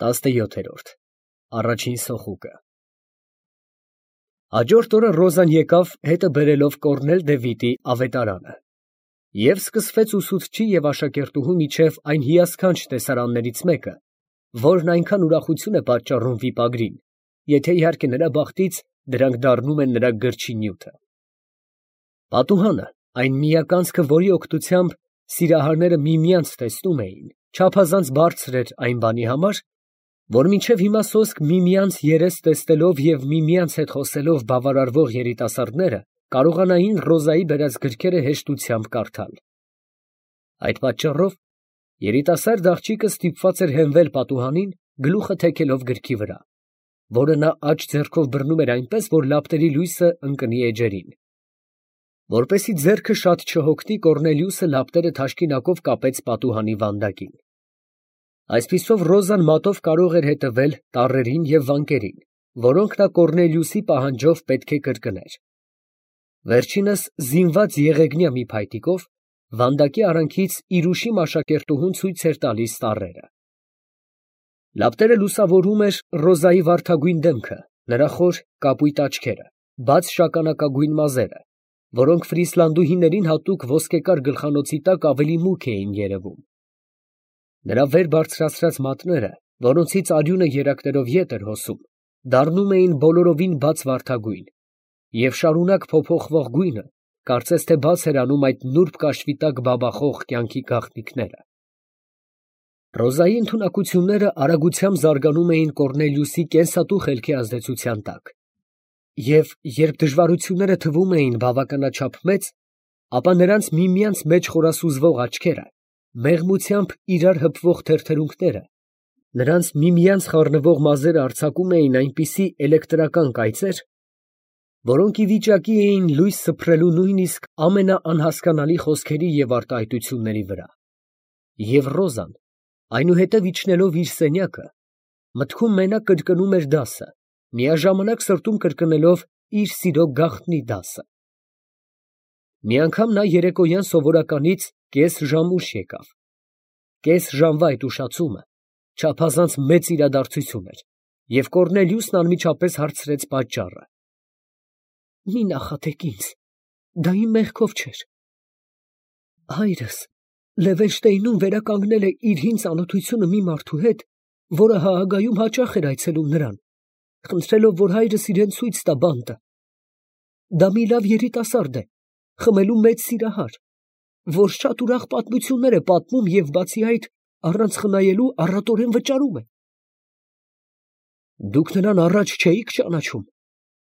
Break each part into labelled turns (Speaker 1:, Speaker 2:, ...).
Speaker 1: 17-րդ Առաջին սոխուկը Հաջորդ օրը Ռոզան եկավ հետը բերելով Կոռնել Դևիթի ավետարանը և սկսվեց ուսուցչի և աշակերտուհու միջև այն հիասքանչ տեսարաններից մեկը, որն այնքան ուրախություն է պատճառում վիպագրին, եթե իհարկե նրա բախտից դրանք դառնում են նրա գրչի նյութը։ Պատուհանը, այն միականցքը, որի օգնությամբ սիրահարները միմյանց տեսնում էին, չափազանց բարձր էր այն բանի համար, որ մինչև հիմա սոսկ միմյանց երես տեսնելով և միմյանց հետ խոսելով բավարարվող երիտասարդները կարողանային Ռոզայի բերած գրքերը հեշտությամբ կարդալ։ Այդ պատճառով երիտասարդ աղջիկը ստիպված էր հենվել պատուհանին, գլուխը թեքելով գրքի վրա, որը նա աջ ձեռքով բռնում էր այնպես, որ լապտերի լույսը ընկնի էջերին։ Որպեսզի ձեռքը շատ չհոգնի, Կոռնելիուսը լապտերը թաշկինակով կապեց պատուհանի վանդակին։ Այսպիսով Ռոզան մատով կարող էր հետևել տառերին և վանքերին, որոնք նա Կոռնելիուսի պահանջով պետք է կրկներ։ Վերջինս զինված եղեգնյա մի փայտիկով վանդակի արանքից իր ուշիմ աշակերտուհուն ցույց էր տալիս տառերը։ Լապտերը լուսավորում էր Ռոզայի վարդագույն դեմքը, նրա խոր կապույտ աչքերը, բաց շագանակագույն մազերը, որոնք ֆրիսլանդուհիներին հատուկ ոսկեկար գլխանոցի տակ ավելի մուգ էին երևում։ Նրա վեր բարձրացրած մատները, որոնցից արյունը երակներով ետ էր հոսում, դառնում էին բոլորովին բաց վարդագույն, և շարունակ փոփոխվող գույնը կարծես թե բաց էր անում այդ նուրբ կաշվի տակ բաբախող կյանքի գաղտնիքները։ Ռոզայի ընդունակությունները արագությամբ զարգանում էին Կոռնելիուսի կենսատու խելքի ազդեցության տակ, և երբ դժվարությունները թվում էին բավականաչափ մեծ, ապա նրանց միմյանց մեջ խորասուզվող աչքերը, մեղմությամբ իրար հպվող թերթերունքները, նրանց միմյանց խառնվող մազերը արձակում էին այնպիսի էլեկտրական կայծեր, որոնք ի վիճակի էին լույս սփռելու նույնիսկ ամենաանհասկանալի խոսքերի և արտահայտությունների վրա։ Եվ Ռոզան, այնուհետև իջնելով իր սենյակը, մտքում մենակ կրկնում էր դասը, միաժամանակ սրտում կրկնելով իր սիրո գաղտնի դասը։ Մի անգամ նա երեկոյան սովորականից կես ժամ ուշ եկավ։ Կես ժամվա այդ ուշացումը չափազանց մեծ իրադարձություն էր, և Կոռնելիուսն անմիջապես հարցրեց պատճառը։ Մի նախատեք ինձ, դա իմ մեղքով չէր։ Հայրս Լևենշտեյնում վերականգնել է իր հին ծանոթությունը մի մարդու հետ, որը Հաագայում հաճախ էր այցելում նրան, խնդրելով, որ հայրս իրան ցույց տա բանտը։ Դա մի լավ երիտասարդ է, խմելու մեծ սիրահար, որ շատ ուրախ պատմություններ է պատմում և բացի այդ, առանց խնայելու առատորեն վճարում է։ Դուք նրան առաջ չէի՞ք ճանաչում,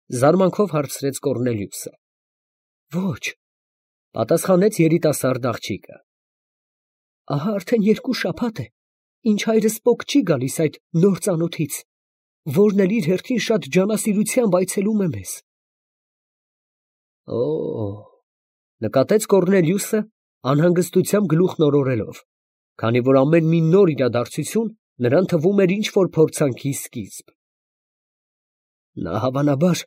Speaker 1: զարմանքով հարցրեց Կոռնելիուսը։ Ոչ, պատասխանեց երիտասարդ աղջիկը։ Ահա արդեն 2 շաբաթ է, ինչ հայրս պոկ չի գալիս այդ նոր ծանոթից, որն էլ իր հերթին շատ ջանասիրությամբ այցելում է մեզ։ Օ՜, նկատեց Կոռնելիուսը անհանգստությամբ գլուխն օրորելով, քանի որ ամեն մի նոր իրադարձություն նրան թվում էր ինչ֊որ փորձանքի սկիզբ։ Նա հավանաբար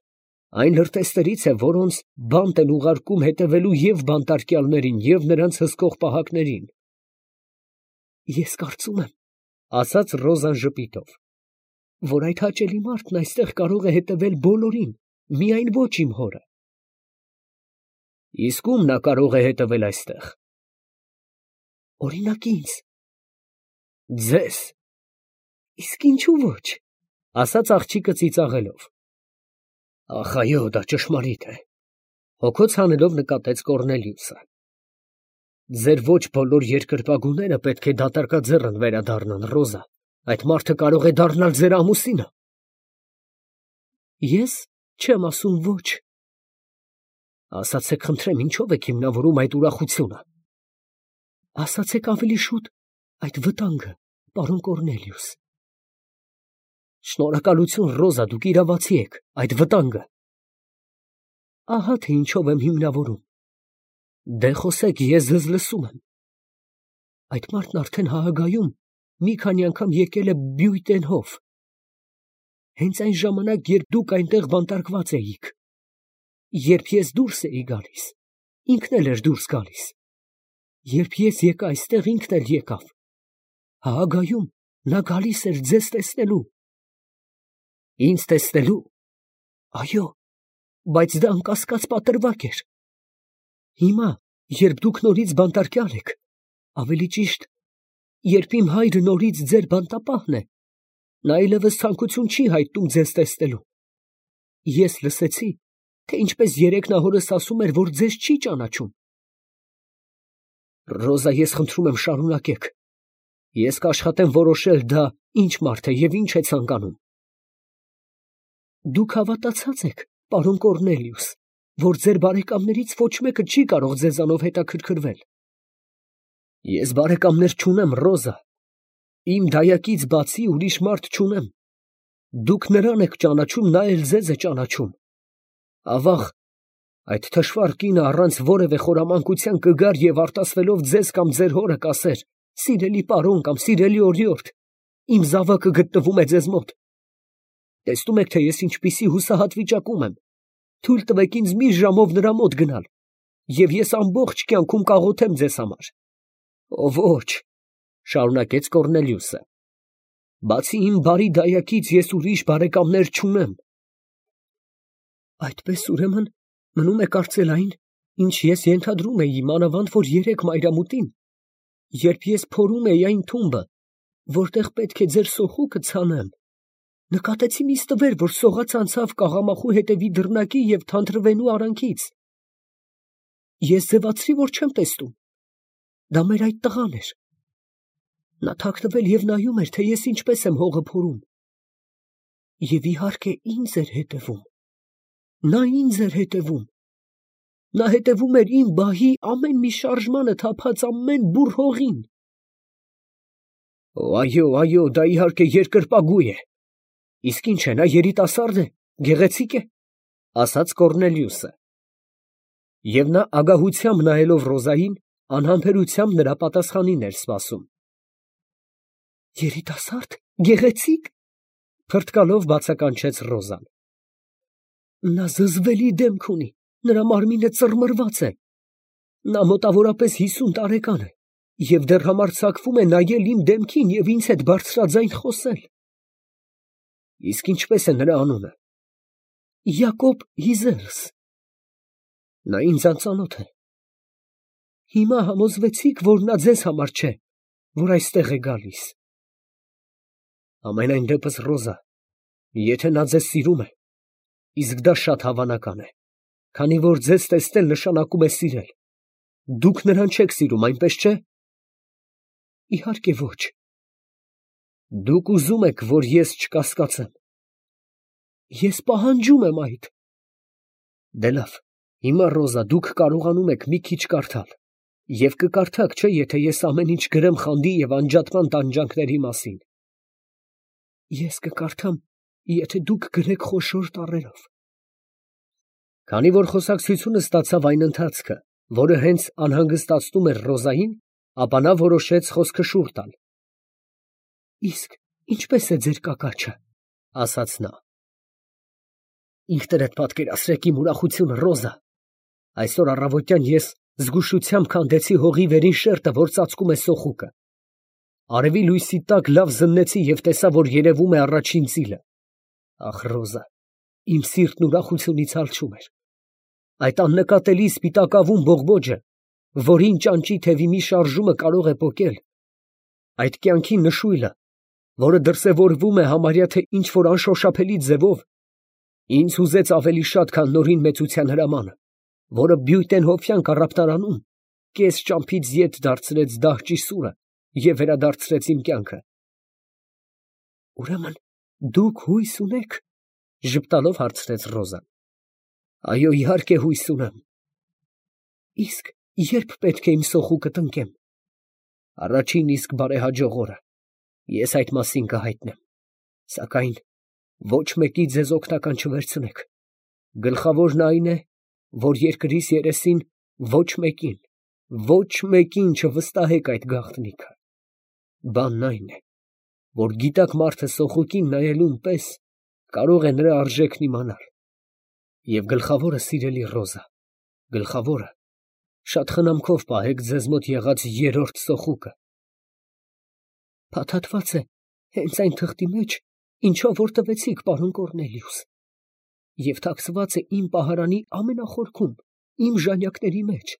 Speaker 1: այն լրտեսներից է, որոնց բանտ են ուղարկում հետևելու և բանտարկյալներին, և նրանց հսկող պահակներին։ Ես կարծում եմ, ասաց Ռոզան ժպիտով, որ այդ հաճելի մարդն այստեղ կարող է հետևել բոլորին, միայն ոչ իմ հորը։ Իսկ ում նա կարող է հետևել այստեղ։ Օրինակ ինձ։ Ձեզ։ Իսկ ինչու ոչ, ասաց աղջիկը ծիծաղելով։ Ախ, այո, դա ճշմարիտ է, հոգոց հանելով նկատեց Կոռնելիուսը։ Ձեր ոչ բոլոր երկրպագուները պետք է դատարկաձեռն վերադառնան, Ռոզա, այդ մարդը կարող է դառնալ ձեր ամուսինը։ Ես չեմ ասում ոչ։ Ասացեք, խնդրեմ, ինչով եք հիմնավորում այդ ուրախությունը։ Ասացեք ավելի շուտ այդ վտանգը, պարոն Կոռնելիուս։ Շնորհակալություն, Ռոզա, դուք իրավացի եք, այդ վտանգը։ Ահա թե ինչով եմ հիմնավորում։ Դե խոսեք, ես ձեզ լսում եմ։ Այդ մարդն արդեն Հաագայում մի քանի անգամ եկել է Բյույտենհոֆ։ Հենց այն ժամանակ, երբ դուք այնտեղ բանտարկված էիք։ Երբ ես դուրս էի գալիս, ինքն էլ էր դուրս գալիս։ Երբ ես եկա այստեղ, ինքն էլ եկավ։ Հաագայում Նա գալիս էր ձեզ տեսնելու։ Ինձ տեսնելու։ Այո, բայց դա անկասկած պատրվակ էր։ Հիմա, երբ դուք նորից բանտարկյալ եք, ավելի ճիշտ, երբ իմ հայրը նորից ձեր բանտապահն է, նա այլևս ցանկություն չի հայտնում ձեզ տեսնելու։ Ես լսեցի, թե ինչպես երեկ նա հորս ասում էր, որ ձեզ չի ճանաչում։ Ռոզա, ես խնդրում եմ, շարունակեք։ Ես կաշխատեմ որոշել դա ինչ մարդ է և ինչ է ցանկանում։ Դուք հավատացած եք, պարոն Կոռնելիուս, որ ձեր բարեկամներից ոչ մեկը չի կարող ձեզանով հետաքրքրվել։ Ես բարեկամներ չունեմ, Ռոզա։ Իմ դայակից բացի ուրիշ մարդ չունեմ։ Դուք նրան եք ճանաչում, նա էլ ձեզ է ճանաչում։ Ավաղ, այդ թշվառ կինը առանց որևէ խորամանկության կգար և արտասվելով ձեզ կամ ձեր հորը կասեր. «Սիրելի պարոն» կամ «Սիրելի օրիորդ, իմ զավակը գտնվում է ձեզ մոտ»։ Տեսնում եք, թե ես ինչպիսի հուսահատ վիճակում եմ։ Թույլ տվեք ինձ մի ժամով նրա մոտ գնալ, և ես ամբողջ կյանքում կաղոթեմ ձեզ համար։ Ոչ, շարունակեց Կոռնելիուսը, բացի իմ բարի դայակից ես ուրիշ բարեկամներ չունեմ։ Այդպես ուրեմն մնում է կարծել այն, ինչ ես ենթադրում էի, մանավանդ որ երեկ մայրամուտին, երբ ես փորում էի այն թումբը, որտեղ պետք է ձեր սոխուկը ցանեմ, նկատեցի մի ստվեր, որ սողաց անցավ կաղամախու հետևի դռնակի և թանթրվենու արանքից։ Ես ձևացրի, որ չեմ տեսնում։ Դա մեր այդ տղան էր։ Նա թաքնվել և նայում էր, թե ես ինչպես եմ հողը փորում։ Եվ իհարկե ինձ էր հետևում։ Նա ինձ էր հետևում։ Նա հետևում էր իմ բահի ամեն մի շարժմանը թափած ամեն բուռ հողին։ Այո, այո, դա իհարկե երկրպագու է։ Իսկ ինչ է, նա երիտասարդ է, գեղեցիկ է, ասաց Կոռնելիուսը։ Եվ նա ագահությամբ նայելով Ռոզային, անհամբերությամբ նրա պատասխանին էր սպասում։ Երիտասարդ, գեղեցիկ, փրթկալով բացականչեց Ռոզան։ Նա զզվելի դեմք ունի, նրա մարմինը ծռմռված է։ Նա մոտավորապես 50 տարեկան է և դեռ համարձակվում է նայել իմ դեմքին և ինձ հետ բարձրաձայն խոսել։ Իսկ ինչպես է նրա անունը։ Յակոբ Հիզելս։ Նա ինձ անծանոթ է։ Հիմա համոզվեցիք, որ նա ձեզ համար չէ, որ այստեղ է գալիս։ Համենայն դեպս, Ռոզա, եթե նա ձեզ սիրում է, իսկ դա շատ հավանական է, քանի որ ձեզ տեսնել նշանակում է սիրել, դուք նրան չեք սիրում, այնպես չէ։ Իհարկե ոչ։ Դուք ուզում եք, որ ես չկասկածեմ։ Ես պահանջում եմ այդ։ Դե լավ, հիմա Ռոզա, դուք կարողանում եք մի քիչ կարդալ, և կկարդաք, չէ՞, եթե ես ամեն ինչ գրեմ խանդի և անջատման տանջանքների մասին։ Ես կկարդամ, եթե դուք գրեք խոշոր տառերով։ Քանի որ խոսակցությունը ստացավ այն ընթացքը, որը հենց անհանգստացնում էր Ռոզային, ապա նա որոշեց խոսքը շուռ տալ։ Իսկ ինչպես է ձեր կակաչը, ասաց նա։ Ինքներդ պատկերացրեք իմ ուրախությունը, Ռոզա։ Այսօր առավոտյան ես զգուշությամբ քանդեցի հողի վերին շերտը, որ ծածկում է սոխուկը։ Արևի լույսի տակ լավ զննեցի և տեսա, որ երևում է առաջին ծիլը։ Ախ, Ռոզա, իմ սիրտն ուրախությունից հալչում էր։ Այդ աննկատելի սպիտակավուն բողբոջը, որին ճանճի թևի մի շարժումը կարող է պոկել, այդ կյանքի նշույլը, որը դրսևորվում է համարյա թե ինչ-որ անշոշափելի ձևով, ինձ հուզեց ավելի շատ, քան նորին մեծության հրամանը, որը Բյուտենհոֆյան կառապտարանում կես ճամփից ետ դարձրեց դահճի սուրը և վերադարձրեց իմ կյանքը։ Ուրեմն դուք հույս ունեք, ժպտալով հարցրեց Ռոզան։ Այո, իհարկե հույս ունեմ։ Իսկ երբ պետք է իմ սոխուկը տնկեմ։ Առաջին իսկ բարեհաջող օրը ես այդ մասին կհայտնեմ, սակայն ոչ մեկի ձեզ օգնական չվերցնեք։ Գլխավորն այն է, որ երկրիս երեսին ոչ մեկին չվստահեք այդ գաղտնիքը։ Բանն այն է, որ գիտակ մարդը սոխուկին նայելուն պես կարող է նրա արժեքն իմանալ։ Եվ գլխավորը, սիրելի Ռոզա, գլխավորը, շատ խնամքով պահեք ձեզ մոտ եղած երրորդ սոխուկը։ Փաթաթված է Հենց այն թղթի մեջ, ինչով որ տվեցիք, պարոն Կոռնելիուս, և թաքցված է իմ պահարանի ամենախորքում, իմ ժանյակների մեջ,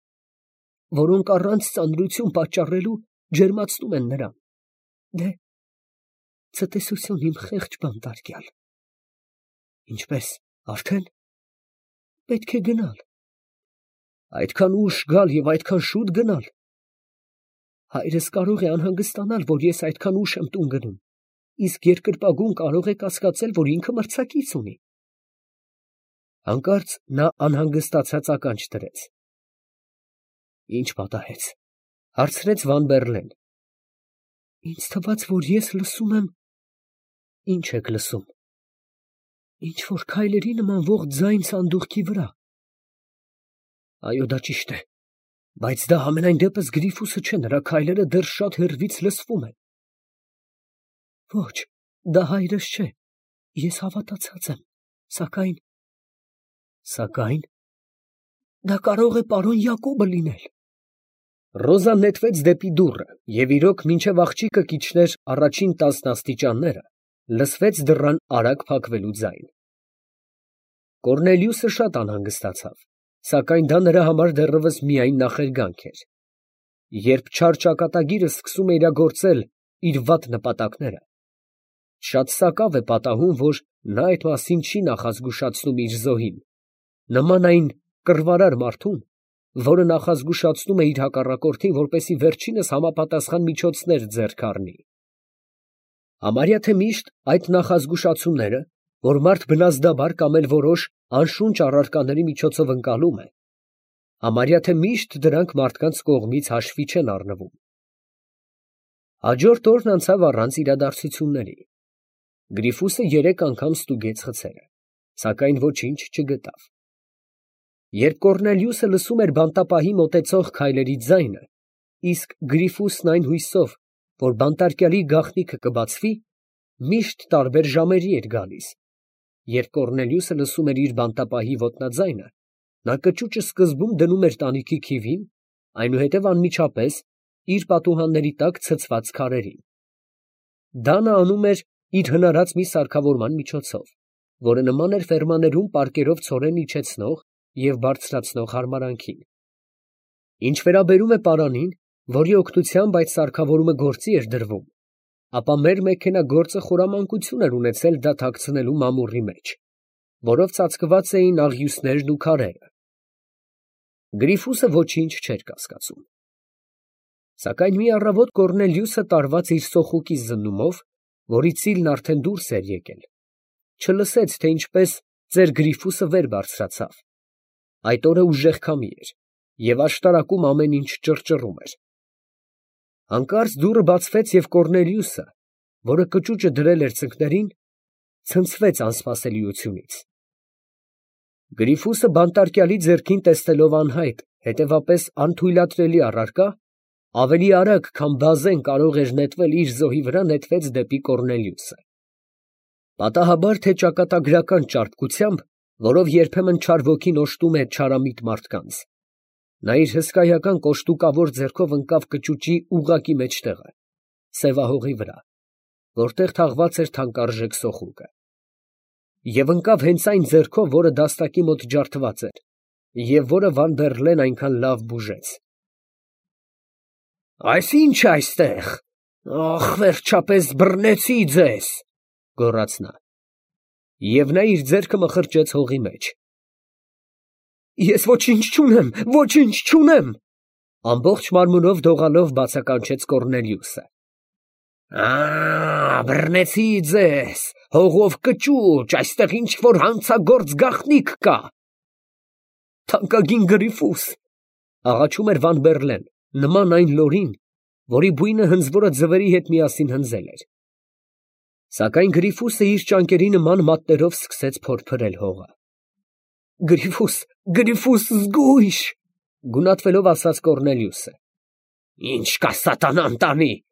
Speaker 1: որոնք առանց ծանրություն պատճառելու ջերմացնում են նրան։ Դե, ցտեսություն իմ խեղճ բանտարկյալ։ Ինչպես, արդեն։ Պետք է գնալ։ Այդքան ուշ գալ և այդքան շուտ գնալ։ Հայրս կարող է անհանգստանալ, որ ես այդքան ուշ եմ տուն գնում, իսկ երկրպագուն կարող է կասկածել, որ ինքը մրցակից ունի։ Հանկարծ նա անհանգստացած ականջ դրեց։ Ինչ պատահեց, հարցրեց Վան Բերլեն։ Ինձ թվաց, որ ես լսում եմ։ Ինչ եք լսում։ Ինչ որ քայլերի նմանվող ձայն սանդուղքի վրա։ Այո, դա ճիշտ է, բայց դա համենայն դեպս Գրիֆուսը չէ, նրա քայլերը դեռ շատ հեռվից լսվում են։ Ոչ, դա հայրս չէ, ես հավատացած եմ, սակայն… Սակայն… Դա կարող է պարոն Յակոբը լինել։ Ռոզան նետվեց դեպի դուռը, և իրոք մինչև աղջիկը կիջներ առաջին 10 աստիճանները, լսվեց դռան արագ փակվելու ձայն։ Կոռնելիուսը շատ անհանգստացավ, սակայն դա նրա համար դեռևս միայն նախերգանք էր։ Երբ չար ճակատագիրը սկսում է իրագործել իր վատ նպատակները, շատ սակավ է պատահում, որ նա այդ մասին չի նախազգուշացնում իր զոհին, նման այն կռվարար մարդուն, որը նախազգուշացնում է իր հակառակորդին, որպեսզի վերջինս համապատասխան միջոցներ ձեռք առնի։ Համարյա թե միշտ այդ նախազգուշացումները, որ մարդ բնազդաբար կամ էլ որոշ անշունչ առարկաների միջոցով ընկալում է, համարյա թե միշտ դրանք մարդկանց կողմից հաշվի չեն առնվում։ Հաջորդ օրն անցավ առանց իրադարձությունների։ Գրիֆուսը 3 անգամ ստուգեց խցերը, սակայն ոչինչ չգտավ։ Երբ Կոռնելիուսը լսում էր բանտապահի մոտեցող քայլերի ձայնը, իսկ Գրիֆուսն այն հույսով, որ բանտարկյալի գաղտնիքը կբացվի, միշտ տարբեր ժամերի էր գալիս։ Երբ Կոռնելիուսը լսում էր իր բանտապահի ոտնաձայնը, նա կճուճը սկզբում դնում էր տանիքի քիվին, այնուհետև անմիջապես իր պատուհանների տակ ցցված քարերին։ Դա նա անում էր իր հնարած մի սարքավորման միջոցով, որը նման էր ֆերմաներում պարկերով ցորեն իջեցնող և բարձրացնող հարմարանքին։ Ինչ վերաբերում է պարանին, որի օգնությամբ այդ սարքավորումը գործի էր դրվում, ապա մեր մեքենագործը խորամանկություն էր ունեցել դա թաքցնելու մամուռի մեջ, որով ծածկված էին աղյուսներն ու քարերը։ Գրիֆուսը ոչինչ չէր կասկածում։ Սակայն մի առավոտ Կոռնելիուսը տարված իր սոխուկի զննումով, որի ծիլն արդեն դուրս էր եկել, չլսեց, թե ինչպես ծեր Գրիֆուսը վեր բարձրացավ։ Այդ օրը ուժեղ քամի էր, և աշտարակում ամեն ինչ ճռճռում էր։ Հանկարծ դուռը բացվեց, և Կոռնելիուսը, որը կճուճը դրել էր ծնկներին, ցնցվեց անսպասելիությունից։ Գրիֆուսը բանտարկյալի ձեռքին տեսնելով անհայտ, հետևապես անթույլատրելի առարկա, ավելի արագ, քան բազեն կարող էր նետվել իր զոհի վրա, նետվեց դեպի Կոռնելիուսը։ Պատահաբար թե ճակատագրական ճարպկությամբ, որով երբեմն չար ոգին օժտում է չարամիտ մարդկանց, նա իր հսկայական կոշտուկավոր ձեռքով ընկավ կճուճի ուղղակի մեջտեղը, սևահողի վրա, որտեղ թաղված էր թանկարժեք սոխուկը, և ընկավ հենց այն ձեռքով, որը դաստակի մոտ ջարդված էր, և որը Վան Բերլեն այնքան լավ բուժեց։ «Այս ի՞նչ է այստեղ, ախ, վերջապես բռնեցի ձեզ», ֊ գոռաց նա, և նա իր ձեռքը մխրճեց հողի մեջ։ «Ես ոչինչ չունեմ, ոչինչ չունեմ», ֊ ամբողջ մարմնով դողալով բացականչեց Կոռնելիուսը։ Բռնեցի ձեզ, հողով կճուճ, այստեղ ինչ որ հանցագործ գաղտնիք կա։ Թանկագին Գրիֆուս, ֊ աղաչում էր Վան Բերլեն, նման այն լորին, որի բույնը հնձվորը ձվերի հետ միասին հնձել էր։ Սակայն Գրիֆուսը իր ճանկերի նման մատներով սկսեց փորփրել հողը։ Գրիֆուս, Գրիֆուս, զգույշ, ֊ գունատվելով ասաց Կոռնելիուսը։ Ինչ կա սատանան տանի, ֊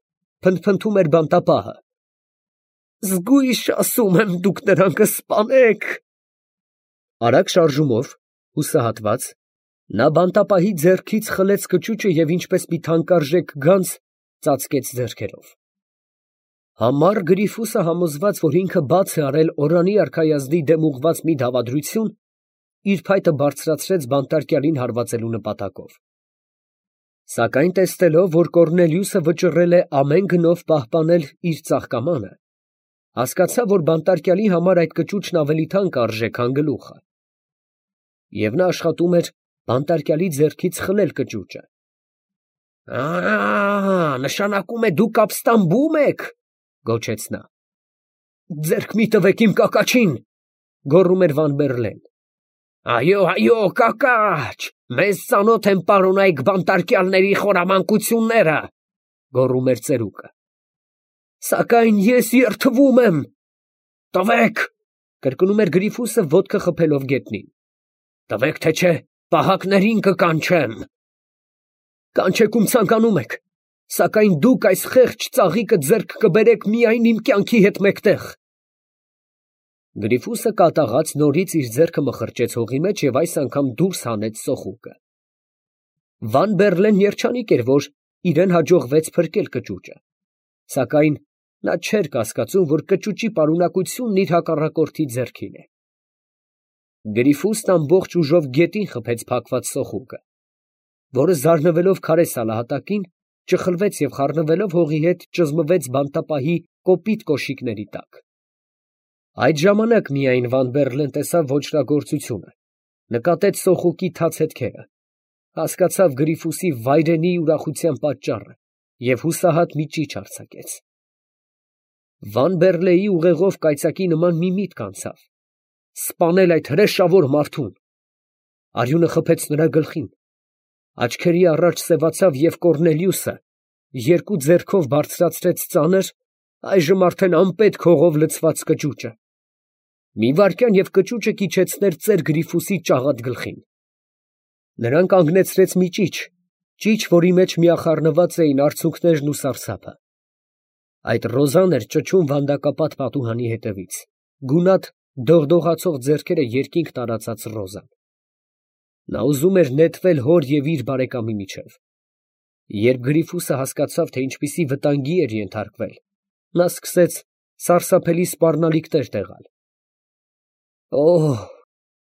Speaker 1: փնթփնթում էր բանտապահը։ Զգույշ, ասում եմ, դուք նրան կսպանեք։ Արագ շարժումով, հուսահատված, նա բանտապահի ձեռքից խլեց կճուճը և ինչպես մի թանկարժեք գանձ ծածկեց ձեռքերով։ Համառ Գրիֆուսը համոզված, որ ինքը բաց է արել Օրանի արքայազնի դեմ ուղղված մի դավադրություն, իր փայտը բարձրացրեց բանտարկյալին հարվածելու նպատակով։ Սակայն տեսնելով, որ Կոռնելիուսը վճռել է ամեն գնով պահպանել իր ծաղկամանը, հասկացավ, որ բանտարկյալի համար այդ կճուճն ավելի թանկ արժե, քան գլուխը, և նա աշխատում էր բանտարկյալի ձեռքից խլել կճուճը։ Նշանակում է դուք ապստամբում եք, գոչեց նա։ Ձեռք մի տվեք իմ կակաչին, գոռում էր Վան Բերլեն։ Այո, կակաչ, մեզ ծանոթ են պարոնայք բանտարկյալների խորամանկությունները, գոռում էր ծերուկը։ Սակայն ես երդվում եմ։ Տվեք, կրկնում էր Գրիֆուսը ոտքը խփելով գետնին։ Տվեք, թե չէ, պահակներին կկանչեմ։ Կանչեք ում ցանկանում եք, սակայն դուք այս խեղճ ծաղիկը ձեռք կբերեք միայն իմ կյանքի հետ մեկտեղ։ Գրիֆուսը կատաղած նորից իր ձեռքը մխրճեց հողի մեջ և այս անգամ դուրս հանեց սոխուկը։ Վան Բերլեն երջանիկ էր, որ իրեն հաջողվեց փրկել կճուճը, սակայն նա չէր կասկածում, որ կճուճի պարունակությունն իր հակառակորդի ձեռքին է։ Գրիֆուսն ամբողջ ուժով գետին խփեց փակված սոխուկը, որը զարնվելով քարե սալահատակին, ճխլվեց և խառնվելով հողի հետ ճզմվեց բանտապահի կոպիտ կոշիկների տակ։ Այդ ժամանակ միայն Վան Բերլեն տեսավ ոճրագործությունը, նկատեց սոխուկի թաց հետքերը, հասկացավ Գրիֆուսի վայրենի ուրախության պատճառը և հուսահատ մի ճիչ արձակեց։ Վան Բերլեի ուղեղով կայծակի նման մի միտք անցավ. սպանել այդ հրեշավոր մարդուն։ Արյունը խփեց նրա գլխին, աչքերի առաջ սևացավ և Կոռնելիուսը երկու ձեռքով բարձրացրեց ծանր, այժմ արդեն անպետք հողով լցված կճուճը։ Մի վայրկյան և կճուճը կիջեցներ ծեր Գրիֆուսի ճաղատ գլխին։ Նրան կանգնեցրեց մի ճիչ, որի մեջ միախառնված էին արցունքներն ու սարսափը։ Այդ Ռոզան էր ճչում վանդակապատ պատուհանի հետևից, գունատ դողդողացող ձեռքերը երկինք տարածած Ռոզան։ Նա ուզում էր նետվել հոր և իր բարեկամի միջև։ Երբ Գրիֆուսը հասկացավ, թե ինչպիսի վտանգի էր ենթարկվել, նա սկսեց սարսափելի սպառնալիքներ տեղալ։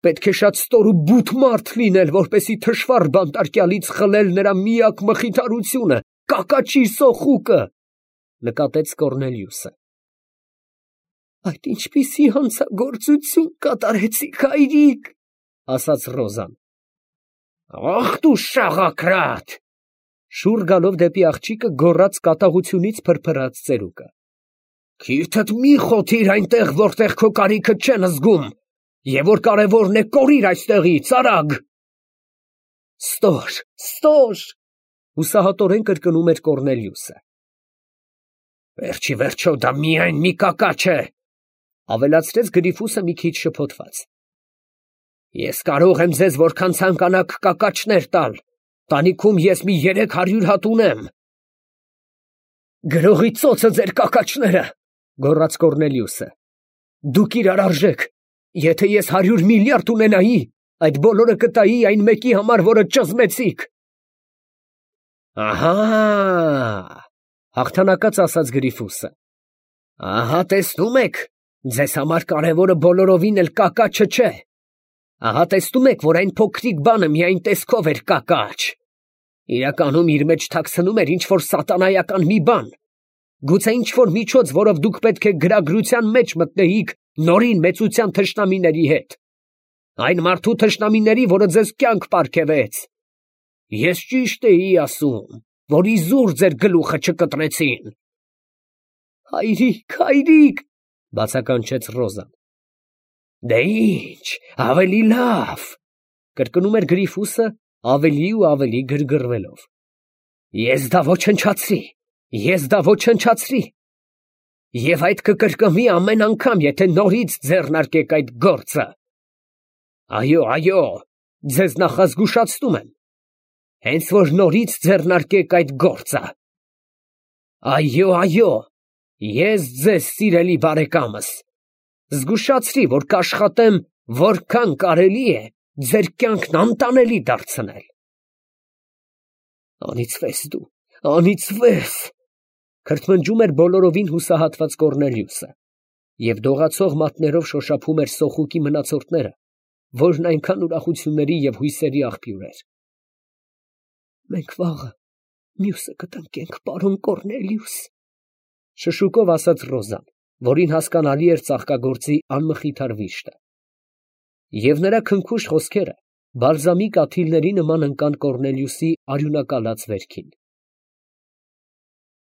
Speaker 1: Պետք է շատ ստոր ու բութ մարդ լինել, որպեսզի թշվառ բանտարկյալից խլել նրա միակ մխիթարությունը, կակաչի սոխուկը, նկատեց Կոռնելիուսը։ Այդ ինչպիսի հանցագործություն կատարեցիք, հայրիկ, ասաց Ռոզան։ Ախ դու շաղակրատ, շուռ գալով դեպի աղջիկը գոռաց կատաղությունից փրփրած ծերուկը։ Քիթդ մի խոթիր այնտեղ, որտեղ քո կարիքը չեն զգում, և որ կարևորն է, կորիր այստեղից, արագ։ Ստոր, հուսահատորեն կրկնում էր Կոռնելիուսը։ Վերջիվերջո դա միայն մի կակաչ է, ավելացրեց Գրիֆուսը մի քիչ շփոթված։ Ես կարող եմ ձեզ որքան ցանկանաք կակաչներ տալ, տանիքում ես մի 300 հատ ունեմ։ Գրողի ծոցը ձեր կակաչները, գոռաց Կոռնելիուսը։ Դուք իրար արժեք, եթե ես 100 միլիարդ ունենայի, այդ բոլորը կտայի այն մեկի համար, որը ճզմեցիք։ Ահա, հաղթանակած ասաց Գրիֆուսը։ Ահա տեսնում եք, ձեզ համար կարևորը բոլորովին էլ կակաչը չէ։ Ահա տեսնում եք, որ այն փոքրիկ բանը միայն տեսքով էր կակաչ։ Իրականում իր մեջ թաքցնում էր ինչ-որ սատանայական մի բան, գուցե ինչ-որ միջոց, որով դուք պետք է գրագրության մեջ մտնեիք նորին մեծության թշնամիների հետ։ Այն մարդու թշնամիների, որը ձեզ կյանք պարգևեց։ Ես ճիշտ էի ասում, որ իզուր ձեր գլուխը չկտրեցին։ Հայրիկ, բացականչեց Ռոզան։ Դե ինչ, ավելի լավ, կրկնում էր Գրիֆուսը ավելի ու ավելի գրգռվելով։ Ես դա ոչնչացրի, և այդ կկրկնվի ամեն անգամ, եթե նորից ձեռնարկեք այդ գործը։ Այո, ձեզ նախազգուշացնում եմ, հենց որ նորից ձեռնարկեք այդ գործը։ Այո, ես ձեզ սիրելի բարեկամս, զգուշացրի, որ կաշխատեմ որքան կարելի է ձեր կյանքն անտանելի դարձնել։ Անիծվես դու, անիծվես, Քրթմնջում էր բոլորովին հուսահատված Կոռնելիուսը և դողացող մատներով շոշափում էր սոխուկի մնացորդները, որն այնքան ուրախությունների և հույսերի աղբյուր էր։ «Մենք վաղը մյուսը կտնկենք, պարոն Կոռնելիուս, ֊ շշուկով ասաց Ռոզան, որին հասկանալի էր ծաղկագործի անմխիթար վիշտը։ Եվ նրա քնքուշ խոսքերը բալզամի կաթիլների նման ընկան Կոռնելիուսի արյունակալած վերքին։